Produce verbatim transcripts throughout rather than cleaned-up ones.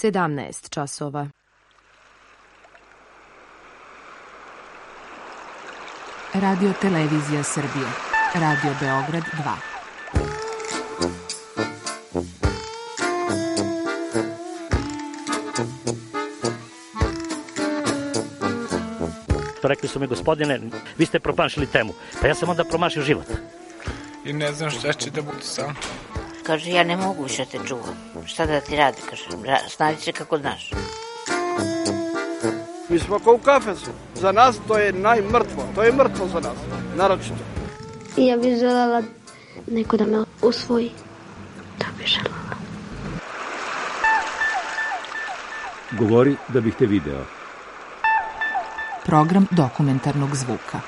sedamnaest časova. Radio Televizija Srbije. Radio Beograd dva. Rekli su mi, gospodine, vi ste promašili temu. Pa ja sam onda promašio život. I ne znam šta će da bude sam. Kaže, ja ne mogu više te čuvam. Šta da ti radi, kaže, snađi se kako znaš. Mi smo kao u kafesu. Za nas to je najmrtvo. To je mrtvo za nas, naročito. I ja bih želela neko da me usvoji. To bih želela. Govori da bih te video. Program dokumentarnog zvuka.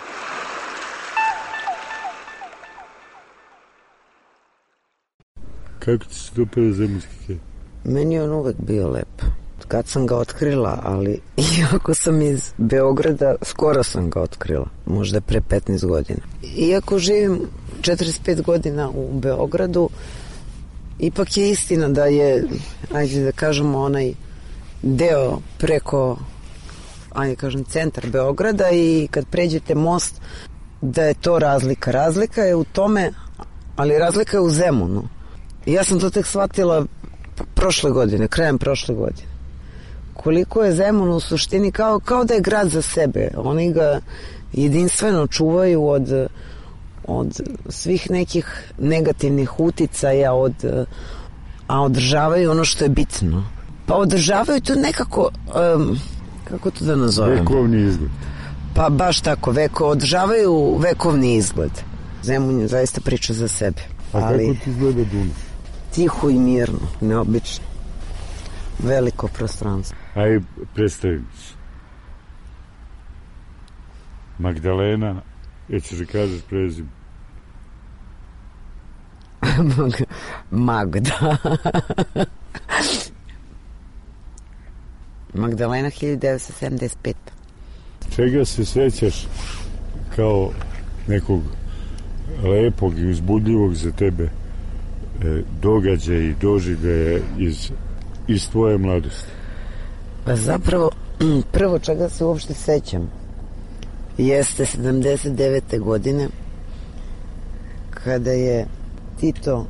Kako ti se dopada Zemunski kraj? Meni je on uvek bio lep. Kad sam ga otkrila, ali iako sam iz Beograda, skoro sam ga otkrila. Možda pre petnaest godina. Iako živim četrdeset pet godina u Beogradu, ipak je istina da je, ajde da kažemo, onaj deo preko, ajde kažem, centar Beograda i kad pređete most, da je to razlika. Razlika je u tome, ali razlika je u Zemunu. I ja sam to tek shvatila prošle godine, krajem prošle godine. Koliko je Zemun u suštini kao, kao da je grad za sebe. Oni ga jedinstveno čuvaju od, od svih nekih negativnih uticaja, od, a održavaju ono što je bitno. Pa održavaju to nekako, um, kako to da nazovem? Vekovni izgled. Pa baš tako, veko, održavaju vekovni izgled. Zemun je zaista priča za sebe. A ali kako ti izgleda Dunav? Tiho i mirno, neobično. Veliko prostranstvo. Aj, predstavim se. Magdalena, jećeš da kažeš prezim? Magda. Magdalena hiljadu devetsto sedamdeset peta. Čega se sećaš kao nekog lepog i uzbudljivog za tebe e, događaja i doživljaja iz, iz tvoje mladosti? Pa zapravo, prvo čega se uopšte sećam jeste sedamdeset devete godine kada je Tito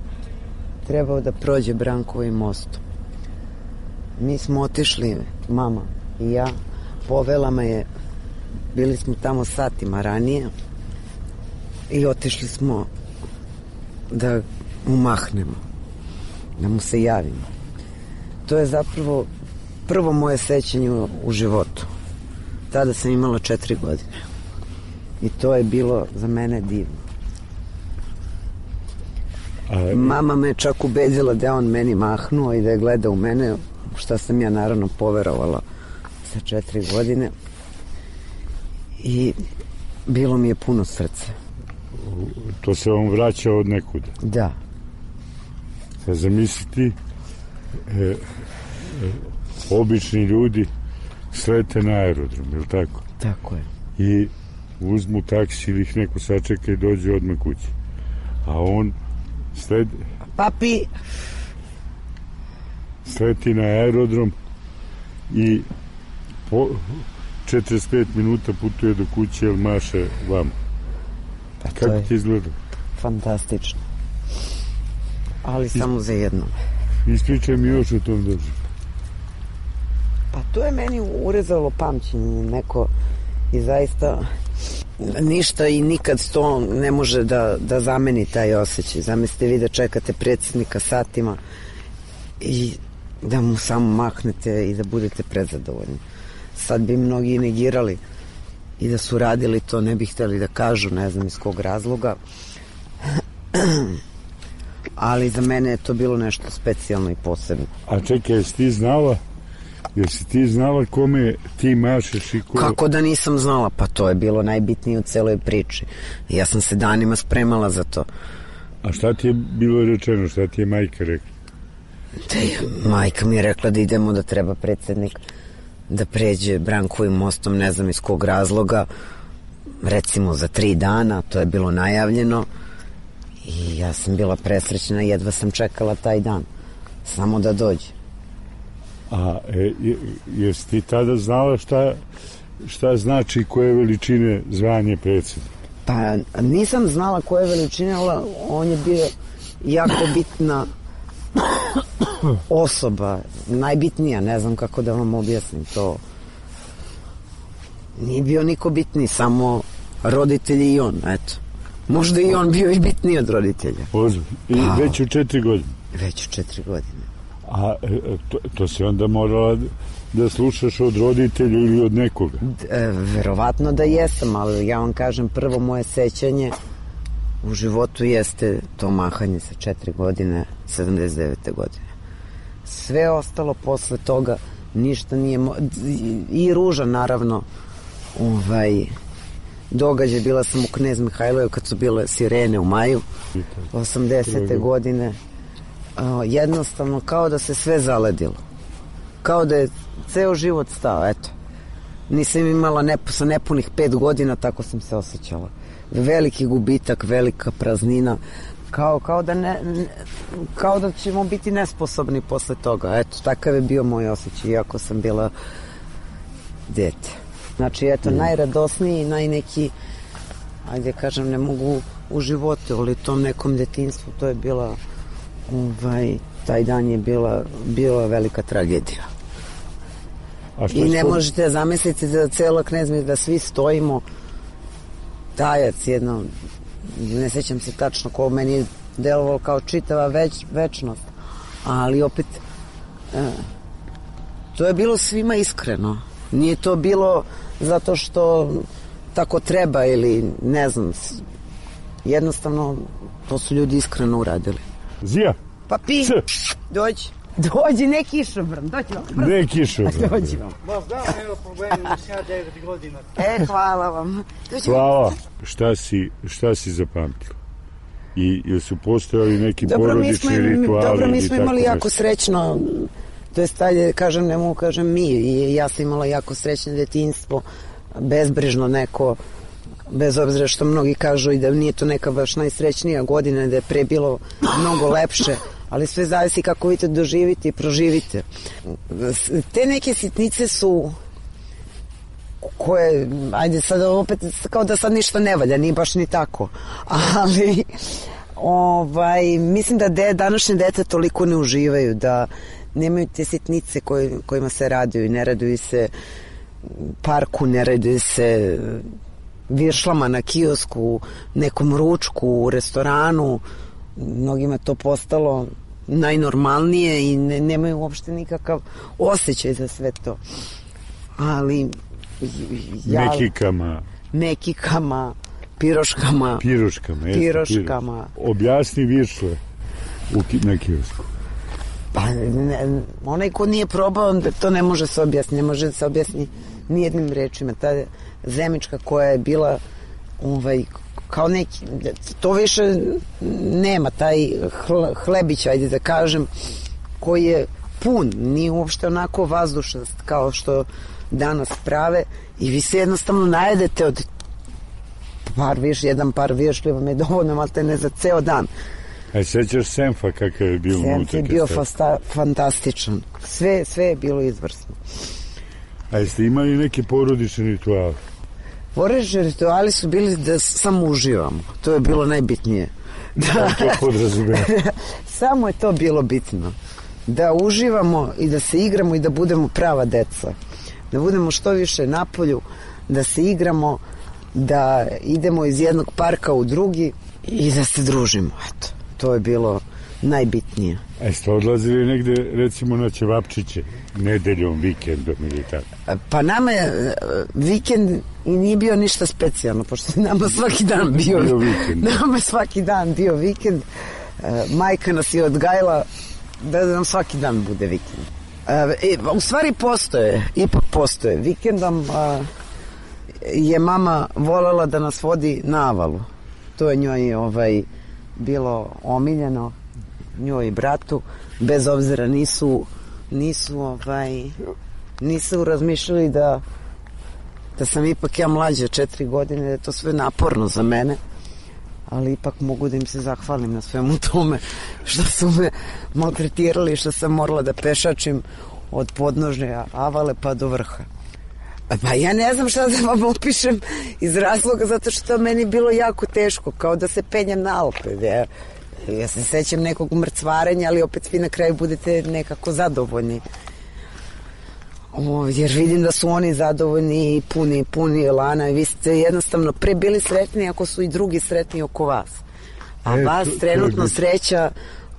trebao da prođe Brankovim mostom. Mi smo otišli, mama i ja, povela me je, bili smo tamo satima ranije i otišli smo da mu mahnemo, da mu se javimo. To je zapravo prvo moje sećanje u, u životu. Tada sam imala četiri godine i to je bilo za mene divno. A... Mama me čak ubedila da je on meni mahnuo i da je gleda u mene, šta sam ja naravno poverovala sa četiri godine i bilo mi je puno srce. To se vam vraća od nekuda? Da. Sad zamisliti e, e, obični ljudi slete na aerodrom, je li tako? Tako je. I uzmu taksi ili ih neko sačeka i dođe odmah kući. A on sled... Papi! Sleti na aerodrom i po četrdeset pet minuta putuje do kuće ili maše vam. Pa kako ti izgleda? Fantastično. Ali Is... samo za jedno. Ispričaj mi još o tom doživljaju. Pa to je meni urezalo pamćenje neko i zaista ništa i nikad to ne može da, da zameni taj osjećaj. Zamislite vi da čekate predsjednika satima i da mu samo mahnete i da budete prezadovoljni. Sad bi mnogi negirali i da su radili to, ne bi htjeli da kažu, ne znam iz kog razloga. Ali za mene je to bilo nešto specijalno i posebno. A čekaj, jesi ti znala jesi ti znala kome ti mašeš i ko... Kako da nisam znala? Pa to je bilo najbitnije u celoj priči. Ja sam se danima spremala za to. A šta ti je bilo rečeno? Šta ti je majka rekla? Da je, majka mi je rekla da idemo, da treba predsjednik da pređe Brankovim mostom, ne znam iz kog razloga, recimo za tri dana, to je bilo najavljeno i ja sam bila presrećna, jedva sam čekala taj dan, samo da dođe. A e, jesi ti tada znala šta, šta znači koje veličine zvanje predsjednika? Pa nisam znala koje veličine, ali on je bio jako bitna osoba, najbitnija, ne znam kako da vam objasnim to. Nije bio niko bitniji, samo roditelji i on, eto. Možda i on bio i bitniji od roditelja. Ozbiljno. I pa, već u četiri godine? Već u četiri godine. A to, to si onda morala da slušaš od roditelja ili od nekoga? E, verovatno da jesam, ali ja vam kažem, prvo moje sećanje u životu jeste to mahanje sa četiri godine, sedamdeset devete godine. Sve ostalo posle toga, ništa nije... Mo... I ruža, naravno, ovaj, događaj. Bila sam u Knez Mihajlovu kad su bile sirene u maju, osamdesete godine. O, jednostavno, kao da se sve zaledilo. Kao da je ceo život stao, eto. Nisam imala ne, sa nepunih pet godina, tako sam se osjećala. Veliki gubitak, velika praznina, kao, kao, da ne, ne, kao da ćemo biti nesposobni posle toga. Eto, takav je bio moj osjećaj, iako sam bila dete. Znači, eto, mm. najradosniji, najneki, ajde kažem, ne mogu u životu, ali tom nekom detinjstvu, to je bila, ovaj, taj dan je bila, bila velika tragedija. I ne možete zamisliti da cela Knezmi, da svi stojimo, tajac jedno, ne sećam se tačno ko meni je delovalo kao čitava već, večnost, ali opet e, to je bilo svima iskreno, nije to bilo zato što tako treba ili ne znam, jednostavno to su ljudi iskreno uradili. Zija, pa pi, dođi, dođi, ne kišobran, dođi vam. Ne kišobran. Dođi vam. Vas da, nema problema, ima sjaj devet godina. E, hvala vam. Dođi hvala. Vam. Šta si, šta si zapamtila? I jel su postojali neki dobro, porodični smo, rituali? Dobro, mi smo imali jako nešto? Srećno, to je stalje, kažem, ne mogu kažem mi, i ja sam imala jako srećno detinjstvo, bezbrižno neko, bez obzira što mnogi kažu i da nije to neka baš najsrećnija godina, da je pre bilo mnogo lepše, ali sve zavisi kako vi to doživite i proživite. Te neke sitnice su koje, ajde sad opet kao da sad ništa ne valja, nije baš ni tako, ali ovaj, mislim da de, današnje dete toliko ne uživaju, da nemaju te sitnice koje, kojima se raduju, ne raduju se parku, ne raduju se viršlama na kiosku, nekom ručku u restoranu. Mnogima to postalo najnormalnije i ne, nemaju uopšte nikakav osjećaj za sve to. Ali ja, mekikama mekikama, piroškama piroškama, jeste, piroškama. Piroš. Objasni viršle u, na kiosku. Pa ne, onaj ko nije probao, to ne može se objasniti, ne može se objasniti nijednim rečima. Ta zemička koja je bila ovaj, kao neki, to više nema, taj hlebić, ajde da kažem, koji je pun, nije uopšte onako vazdušnost kao što danas prave, i vi se jednostavno najedete od par viš, jedan par višljiva vam je dovoljno, ali te ne za ceo dan. A sećaš Senfa kakav je bio unutra? Senf je bio fasta, fantastičan, sve, sve je bilo izvrsno. A jeste imali neke porodične rituale? Porodični rituali su bili da samo uživamo, to je bilo najbitnije. Da, to podrazumijemo. Samo je to bilo bitno, da uživamo i da se igramo i da budemo prava deca, da budemo što više napolju, da se igramo, da idemo iz jednog parka u drugi i da se družimo. Eto, to je bilo najbitnije. A jeste odlazili negde, recimo, na ćevapčiće, nedeljom, vikendom ili tako? Pa nama je vikend i nije bio ništa specijalno, pošto nama svaki dan bio, bio vikend. Nama je svaki dan bio vikend. Majka nas je odgajala da nam svaki dan bude vikend. E, u stvari postoje, ipak postoje. Vikendom a, je mama voljela da nas vodi na Avalu. To je njoj ovaj, bilo omiljeno, njoj i bratu, bez obzira nisu nisu ovaj nisu razmišljali da da sam ipak ja mlađa četiri godine, da je to sve naporno za mene, ali ipak mogu da im se zahvalim na svemu tome što su me maltretirali, što sam morala da pešačim od podnožja Avale pa do vrha. Pa ja ne znam šta da vam opišem iz razloga zato što meni bilo jako teško, kao da se penjem na Alpe. Ja, ja se sećam nekog mrcvarenja, ali opet vi na kraju budete nekako zadovoljni. O, jer vidim da su oni zadovoljni i puni, puni elana i vi ste jednostavno pre bili sretni ako su i drugi sretni oko vas. A e, vas to, trenutno to sreća,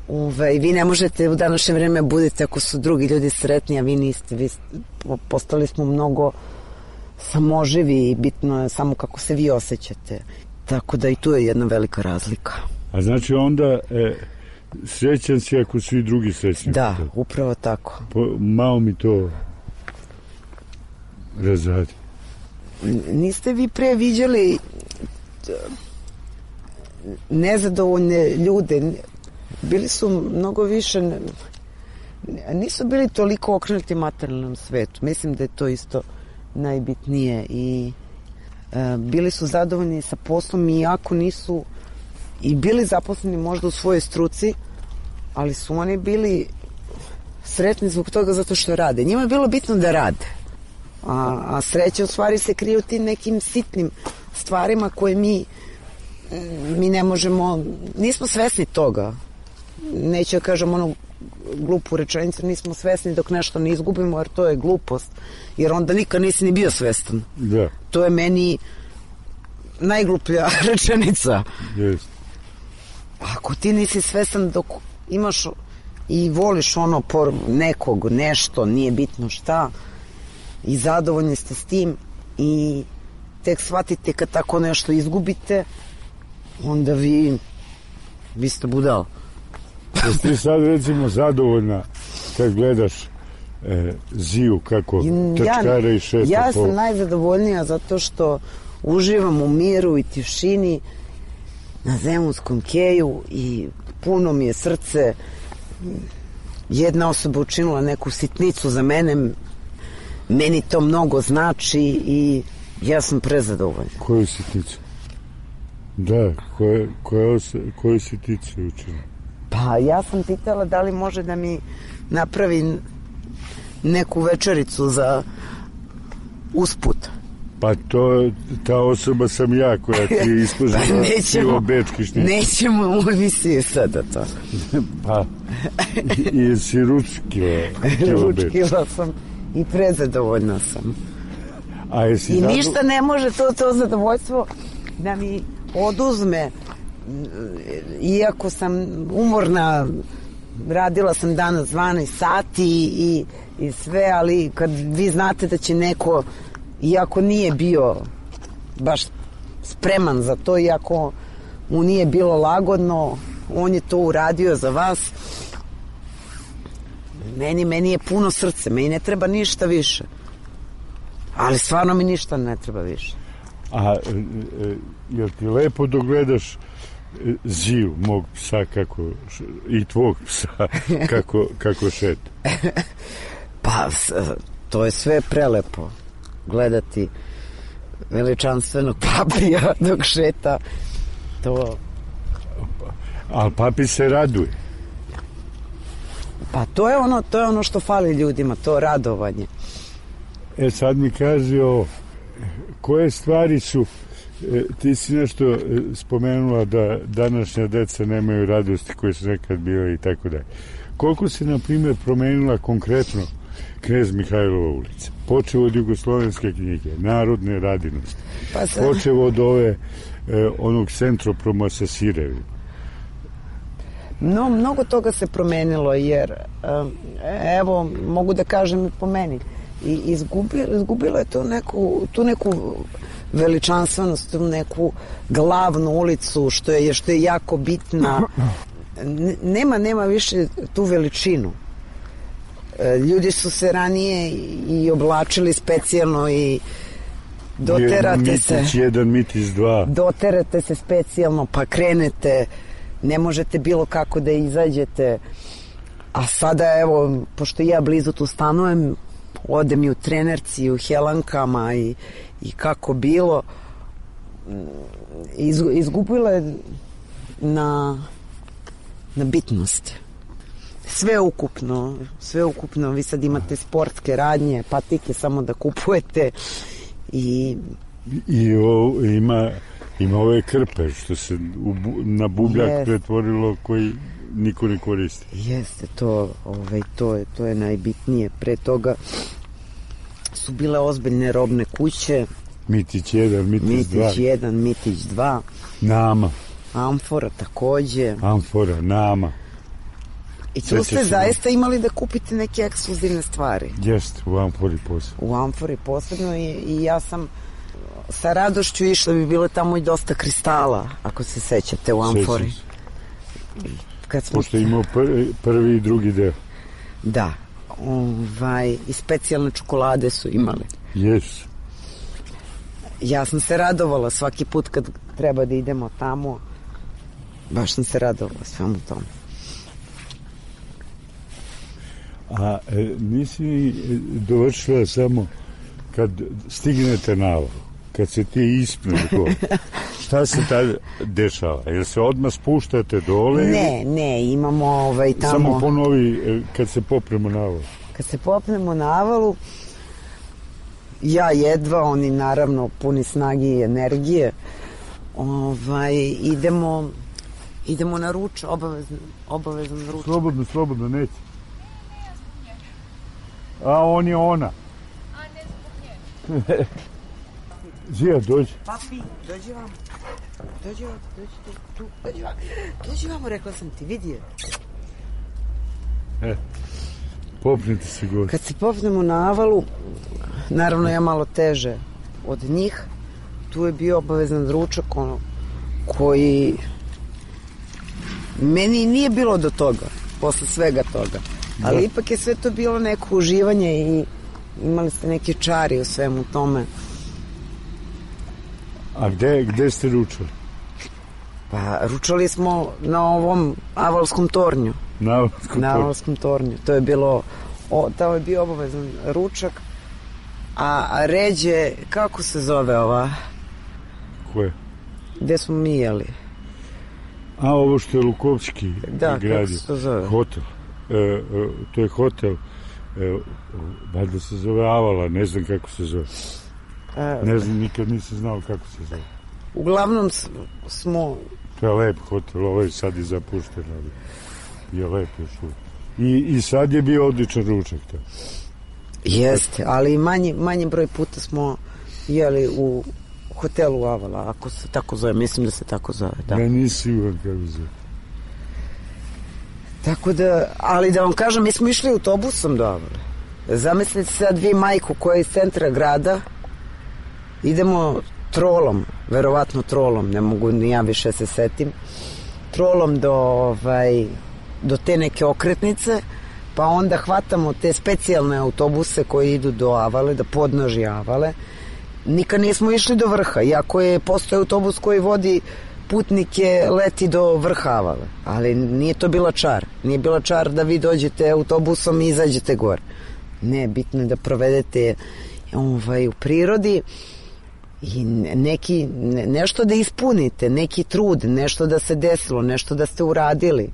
uve, vi ne možete u današnje vreme budete ako su drugi ljudi sretni, a vi niste. Vi postali smo mnogo samoživi i bitno je samo kako se vi osjećate. Tako da i tu je jedna velika razlika. A znači onda e, srećan si ako su i drugi srećni? Da, upravo tako. Po, malo mi to razradi. Niste vi pre viđali nezadovoljne ljude? Bili su mnogo više, nisu bili toliko okrenuti materijalnom svetu. Mislim da je to isto najbitnije i e, bili su zadovoljni sa poslom iako nisu i bili zaposleni možda u svojoj struci, ali su oni bili sretni zbog toga zato što rade. Njima je bilo bitno da rade. A, a sreća u stvari se krije u tim nekim sitnim stvarima koje mi mi ne možemo, nismo svesni toga. Neću da kažem ono glupu rečenicu, nismo svesni dok nešto ne izgubimo, jer to je glupost. Jer onda nikad nisi ni bio svestan. Da. To je meni najgluplja rečenica. Yes. Ako ti nisi svestan dok imaš i voliš ono por nekog, nešto, nije bitno šta, i zadovoljni ste s tim i tek shvatite kad tako nešto izgubite, onda vi vi ste budal. Jesi ti sad recimo zadovoljna kad gledaš e, Ziju kako trčkara i šeta? Ja sam po... najzadovoljnija zato što uživam u miru i tišini na Zemunskom keju i puno mi je srce. Jedna osoba učinila neku sitnicu za mene, meni to mnogo znači i ja sam prezadovoljna. Koju sitnicu? Da, koje, koje, koju sitnicu učinila? Pa ja sam pitala da li može da mi napravi neku večericu za usput. Pa to, ta osoba sam ja koja ti je islužila sivo bečki šnicu. Nećemo u emisiji sada to. Pa, i jesi ručkila ručkila sam i prezadovoljna sam. A jesi I zado... ništa ne može to, to zadovoljstvo da mi oduzme, iako sam umorna, radila sam danas dvanaest sati i, i sve, ali kad vi znate da će neko, iako nije bio baš spreman za to, iako mu nije bilo lagodno, on je to uradio za vas. Meni, meni je puno srce, meni ne treba ništa više. Ali stvarno mi ništa ne treba više. A e, jel ti lepo dogledaš Ziju, mog psa, kako, i tvog psa, kako, kako šeta? Pa, to je sve prelepo. Gledati veličanstvenog papija dok šeta, to... Ali papi se raduje. Pa to je ono, to je ono što fali ljudima, to radovanje. E sad mi kaži o koje stvari su, e, ti si nešto e, spomenula da današnja deca nemaju radosti koje su nekad bile i tako dalje. Koliko se na primjer promenila konkretno Knez Mihajlova ulica? Počeo od jugoslovenske knjige, narodne radinosti, pa sam... počeo od ove e, onog Centroproma sa sirevima. No, mnogo toga se promenilo jer evo, mogu da kažem i po meni, i izgubilo, izgubilo je tu neku, tu neku veličanstvenost, tu neku glavnu ulicu što je, što je jako bitna. Nema, nema više tu veličinu. Ljudi su se ranije i oblačili specijalno i doterate se mitić jedan, mitić dva, doterate se specijalno pa krenete, ne možete bilo kako da izađete. A sada evo, pošto ja blizu tu stanujem, odem i u Trenerci i u Helankama i, i kako bilo, Iz, izgubila je na, na bitnosti. Sve ukupno, sve ukupno. Vi sad imate sportske radnje, patike samo da kupujete i... I o, ima, ima ove krpe što se u, na bubljak yes. pretvorilo koji niko ne koristi. Jeste, to, ovaj, to, je, to je najbitnije. Pre toga su bile ozbiljne robne kuće. Mitić jedan, Mitić dva. Mitić jedan, Mitić dva. Nama. Amfora takođe. Amfora, Nama. I tu ste zaista imali da kupite neke ekskluzivne stvari. Jeste, u Amfori posebno. U Amfori posebno i, i ja sam sa radošću išla, bi bilo tamo i dosta kristala, ako se sećate, u Amfori. Kad smo... Pošto je imao prvi, prvi i drugi deo. Da. Ovaj, i specijalne čokolade su imali. Jesu. Ja sam se radovala svaki put kad treba da idemo tamo. Baš sam se radovala svemu tomu. A e, nisi dovršila samo kad stignete na ovo, kad se ti ispne to, šta se tad dešava? Jel se odmah spuštate dole? Ne, ne, imamo ovaj tamo... Samo ponovi kad se popnemo na ovo. Kad se popnemo na avalu, ja jedva, oni naravno puni snage i energije, ovaj, idemo, idemo na ruč, obavezno, obavezno ruč. Slobodno, slobodno, neće. A on je ona. A ne zbog nje. Zija, dođi. Papi, dođi vam. Dođi vam, dođi tu, dođi vam. Dođi vam, rekla sam ti, vidi je. E, popnite se gore. Kad se popnemo na avalu, naravno ja malo teže od njih, tu je bio obavezan ručak, ono, koji meni nije bilo do toga, posle svega toga. Ali da. Ipak je sve to bilo neko uživanje i imali ste neke čari u svemu tome. A gde, gde ste ručali? Pa ručali smo na ovom avalskom tornju. Na avalskom, na avalskom tornju. To je bilo, o, to je bio obavezan ručak. A, a ređe, kako se zove ova? Koje? Gde smo mi jeli? A ovo što je Lukovski da, gradio. Kako se to zove? Hotel. E, e, to je hotel, e, valjda se zove Avala, ne znam kako se zove. E, ne znam, nikad nisam znao kako se zove. Uglavnom smo... To je lep hotel, ovaj sad je zapušten, ali je lep još uvijek. I, I sad je bio odličan ručak. To. Jeste, ali manji, manji broj puta smo jeli u hotelu Avala, ako se tako zove, mislim da se tako zove. Da. Ja nisi siguran kako se zove. Tako da, ali da vam kažem, mi smo išli autobusom do Avale. Zamislite sad vi majku koja je iz centra grada, idemo trolom, verovatno trolom, ne mogu ni ja više se setim, trolom do, ovaj, do te neke okretnice, pa onda hvatamo te specijalne autobuse koji idu do Avale, da podnoži Avale. Nikad nismo išli do vrha, iako je postoji autobus koji vodi putnike leti do vrha Avale, ali nije to bila čar. Nije bila čar da vi dođete autobusom i izađete gore. Ne, bitno je da provedete ovaj, u prirodi i neki, ne, nešto da ispunite, neki trud, nešto da se desilo, nešto da ste uradili.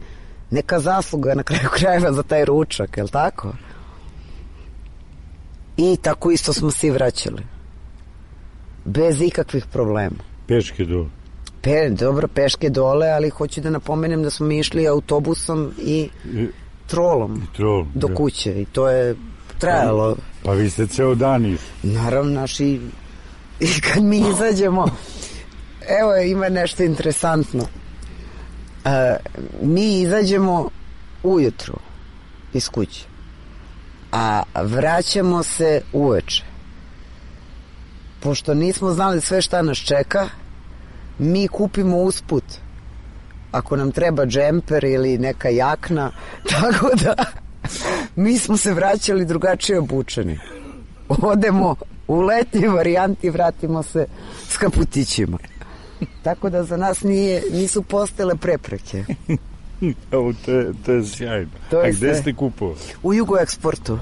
Neka zasluga na kraju krajeva za taj ručak, je li tako? I tako isto smo se vraćali. Bez ikakvih problema. Peške dole. Pe, dobro, peške dole, ali hoću da napomenem da smo mi išli autobusom i trolom, I trolom do da. kuće i to je trajalo. Pa, pa vi ste ceo dan išli. Naravno, naši i kad mi izađemo, evo ima nešto interesantno. E, mi izađemo ujutru iz kuće, a vraćamo se uveče. Pošto nismo znali sve šta nas čeka, mi kupimo usput ako nam treba džemper ili neka jakna, tako da mi smo se vraćali drugačije obučeni. Odemo u letnji varijanti, vratimo se s kaputićima. Tako da za nas nije, nisu postale prepreke. Evo, to je, to je sjajno. To je A gde ste kupovali? U Jugoeksportu.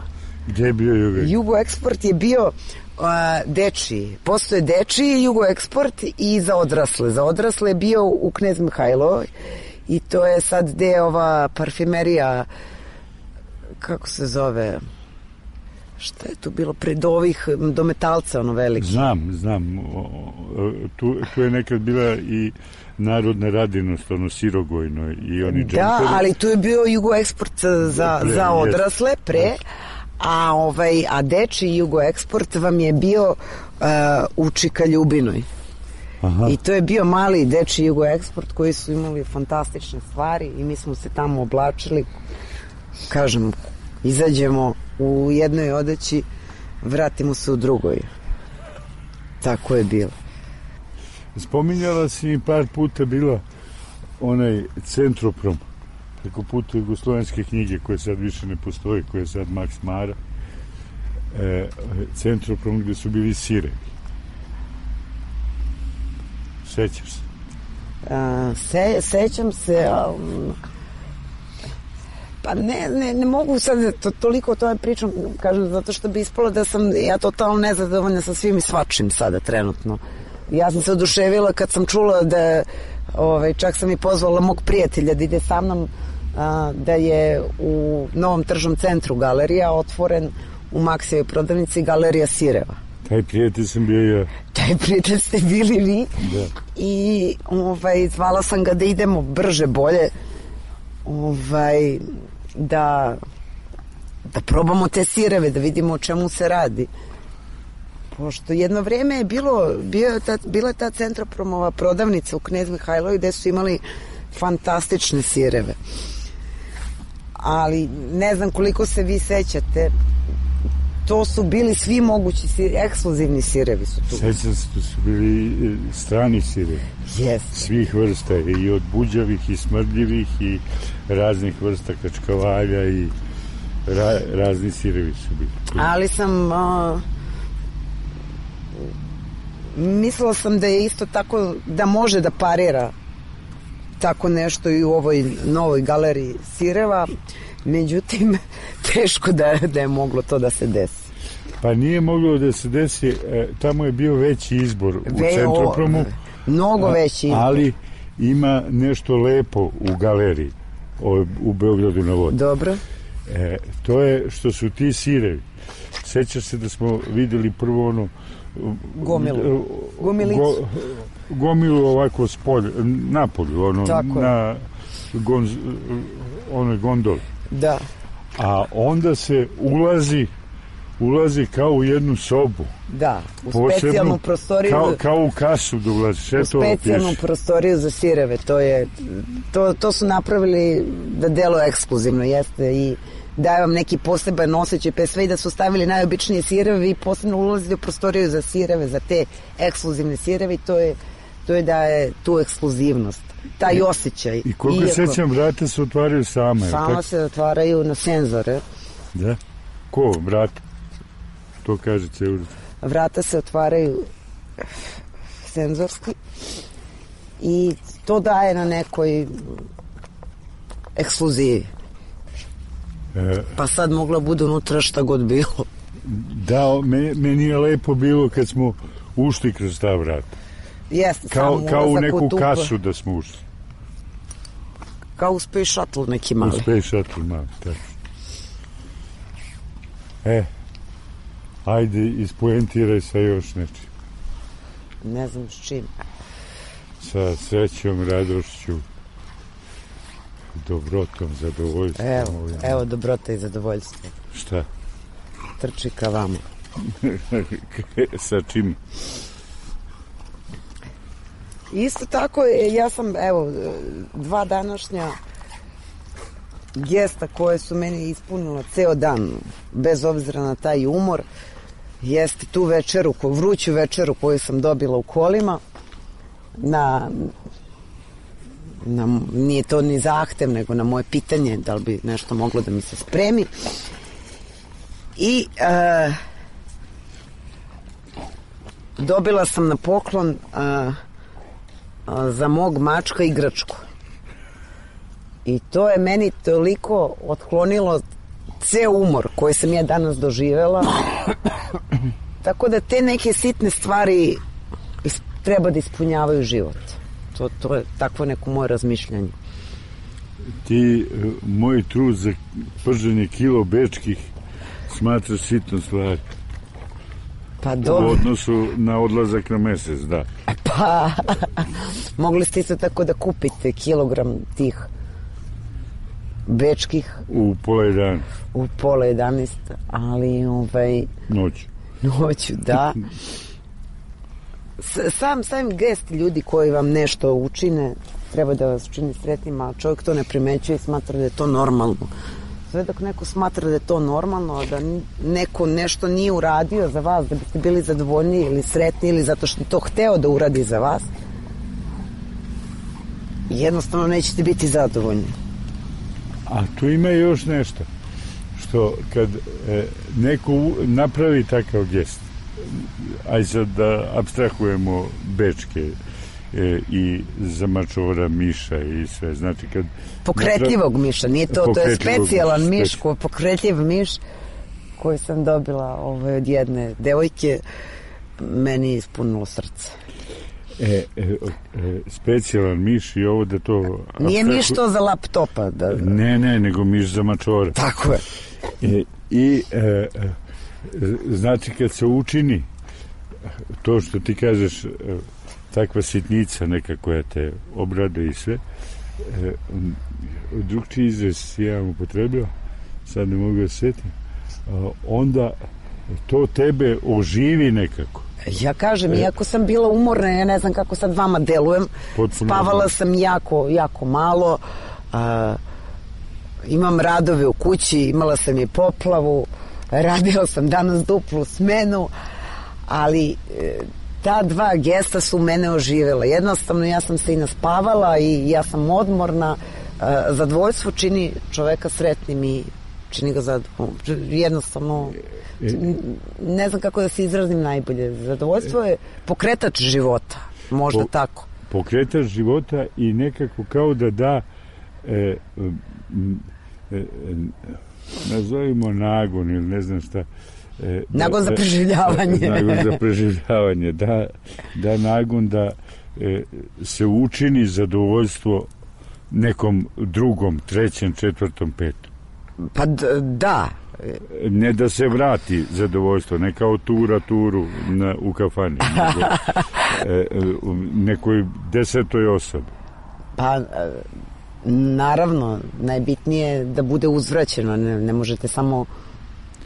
Gde je bio Jugoeksport? Jugoeksport je bio uh, dečiji. Postoje dečiji Jugoeksport i za odrasle. Za odrasle je bio u Knez Mihajlovoj i to je sad gde je ova parfimerija kako se zove, šta je tu bilo pred ovih, do Metalca, ono veliki. Znam, znam. O, tu, tu je nekad bila i Narodna radinost, ono Sirogojno i oni džemperi. Da, ali tu je bio Jugoeksport za, pre, za odrasle pre, a, ovaj, a deči Jugoeksport vam je bio uh, u Čika Ljubinoj. Aha. I to je bio mali deči Jugoeksport koji su imali fantastične stvari i mi smo se tamo oblačili, kažem, izađemo u jednoj odeći, vratimo se u drugoj. Tako je bilo. Spominjala si mi par puta bila onaj Centroprom preko puta jugoslovenske knjige koje sad više ne postoji, koje je sad Max Mara, e, Centroprom gde su bili sirevi. Sećaš se? A, se sećam se, um, pa ne, ne, ne mogu sad to, toliko o tome pričam, kažem, zato što bi ispalo da sam ja totalno nezadovoljna sa svim i svačim sada trenutno. Ja sam se oduševila kad sam čula da, ovaj, čak sam i pozvala mog prijatelja da ide sa mnom, a, da je u Novom tržnom centru galerija otvoren u Maksijevoj prodavnici Galerija Sireva. Taj prijatelj sam bio ja. Taj prijatelj ste bili vi. Da. I ovaj, zvala sam ga da idemo brže, bolje, ovaj, da, da probamo te sireve, da vidimo o čemu se radi. Pošto jedno vreme je bilo, bio ta, bila je ta Centropromova prodavnica u Knez Mihajlovi gde su imali fantastične sireve. Ali ne znam koliko se vi sećate, to su bili svi mogući sir, ekskluzivni sirevi su tu. Sećam se, to su bili strani sirevi. Yes. Svih vrsta, i od buđavih, i smrdljivih, i raznih vrsta kačkavalja, i ra, razni sirevi su bili. Ali sam... Uh, mislila sam da je isto tako, da može da parira tako nešto i u ovoj novoj galeriji sireva, međutim teško da, da je moglo to da se desi. Pa nije moglo da se desi, e, tamo je bio veći izbor u Ve, Centropromu, mnogo veći izbor, ali ima nešto lepo u galeriji o, u Beogradu na vodi. Dobro. E, to je što su ti sirevi. Sećaš se da smo videli prvo ono gomilu gomilicu go, gomilu ovako spolje, napolju, ono, na gonz, onoj gondoli. Da. A onda se ulazi ulazi kao u jednu sobu. Da, u posebnu, specijalnu prostoriju. Kao, kao u kasu da ulazi. U specijalnu prostoriju za sireve. To, je, to, to su napravili da delo ekskluzivno jeste i daje vam neki poseban osjećaj, pe sve i da su stavili najobičnije sireve i posebno ulazili u prostoriju za sireve, za te ekskluzivne sireve i to je, to je da je tu ekskluzivnost, taj osjećaj. I koliko Iako, sećam, vrata se otvaraju same. Sama se otvaraju na senzore. Da? Ko vrata? To kaže Ceurica. Vrata se otvaraju senzorski i to daje na nekoj ekskluzivi. Pa sad moglo bude unutra šta god bilo. Da, meni je lepo bilo kad smo ušli kroz ta vrata. Jeste, kao, samo kao u neku u kasu da smo ušli. Kao u Space Shuttle neki mali. U Space Shuttle mali, tako. E, ajde, ispoentiraj sa još nečim. Ne znam s čim. Sa srećom, radošću, dobrotom, zadovoljstvom. Evo, evo dobrota i zadovoljstvo. Šta? Trči ka vama. Sa čim? Isto tako, ja sam, evo, dva današnja gesta koje su meni ispunila ceo dan, bez obzira na taj umor, jeste tu večeru, vruću večeru koju sam dobila u kolima, na... Na, nije to ni zahtev, nego na moje pitanje da li bi nešto moglo da mi se spremi. I e, dobila sam na poklon e, a, za mog mačka igračku. I to je meni toliko otklonilo ceo umor koji sam ja danas doživela. Tako da te neke sitne stvari is, treba da ispunjavaju život. To, to je takvo neko moje razmišljanje. ti moj trud za prženje kilo bečkih smatraš sitnom stvari. Pa dobro. U odnosu na odlazak na mesec, da. Pa, mogli ste isto tako da kupite kilogram tih bečkih. U pola jedan. U pola jedanaest, ali ovaj... Noću. Noću, da. Sam, sam gest ljudi koji vam nešto učine, treba da vas učini sretnima, a čovjek to ne primećuje i smatra da je to normalno. Sve dok neko smatra da je to normalno, da neko nešto nije uradio za vas, da biste bili zadovoljni ili sretni ili zato što je to hteo da uradi za vas, jednostavno nećete biti zadovoljni. A tu ima još nešto, što kad e, neko napravi takav gest, aj sad da apstrahujemo bečke e, i zamačora miša i sve, znači kad... Pokretljivog napravi, miša, nije to, to je specijalan miš, ko, pokretljiv miš koji sam dobila ovaj, od jedne devojke, meni je ispunilo srce. E, e, e, specijalan miš i ovo da to... Nije miš to za laptopa. Da, da. Ne, ne, nego miš za mačora. Tako je. E, I e, e, znači kad se učini to što ti kažeš, e, takva sitnica neka koja te obrade i sve, e, drugčiji izraz ja vam upotrebio, sad ne mogu da setim, onda to tebe oživi nekako. Ja kažem, e, iako sam bila umorna, ja ne znam kako sad vama delujem, spavala znam. sam jako, jako malo, a, imam radove u kući, imala sam i poplavu, radila sam danas duplu smenu, ali e, ta dva gesta su mene oživjela. Jednostavno ja sam se i naspavala i ja sam odmorna. E, zadovoljstvo čini čoveka sretnim i čini ga zadovoljnim. Jednostavno ne znam kako da se izrazim najbolje. Zadovoljstvo je pokretač života. Možda po, tako. Pokretač života i nekako kao da da e, e, e, nazovimo nagon ili ne znam šta. E, nagon za preživljavanje. Nagon za preživljavanje, da, da nagon da e, se učini zadovoljstvo nekom drugom, trećem, četvrtom, petom. Pa da. Ne da se vrati zadovoljstvo, ne kao tura turu na, u kafani, nego e, nekoj desetoj osobi. Pa naravno, najbitnije je da bude uzvraćeno, ne, ne možete samo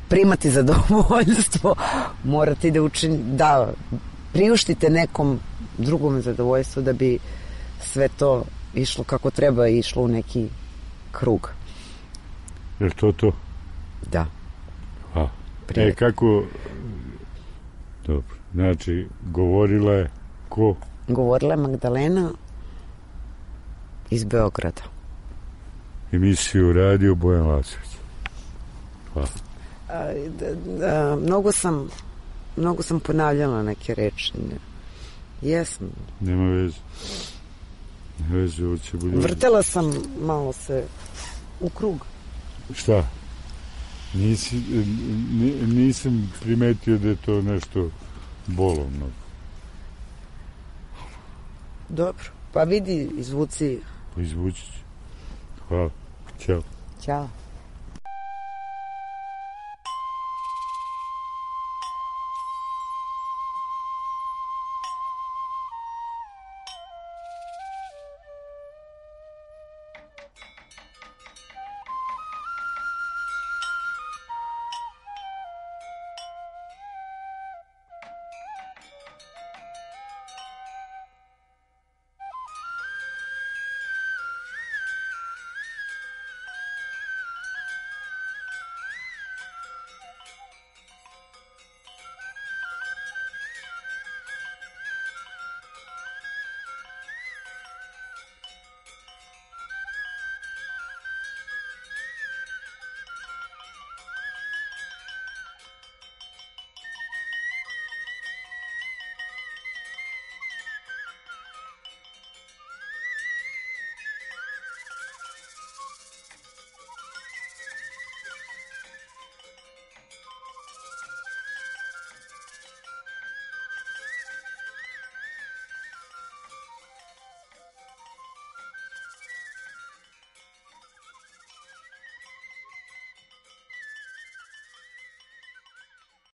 primati zadovoljstvo, morate da učini, da priuštite nekom drugom zadovoljstvo da bi sve to išlo kako treba i išlo u neki krug. Je li to to? Da. A, e, kako... Dobro, znači, govorila je ko? Govorila je Magdalena iz Beograda. Emisiju radio Bojan Lasović. Hvala. A, da, da, mnogo sam mnogo sam ponavljala neke reči. Jesam. Nema veze. Nema veze, ovo će bolje. Vrtela sam malo se u krug. Šta? Nisi, nisam primetio da je to nešto bolovno. Dobro. Pa vidi, izvuci. Pa izvući ću. Hvala. Ćao. Ćao.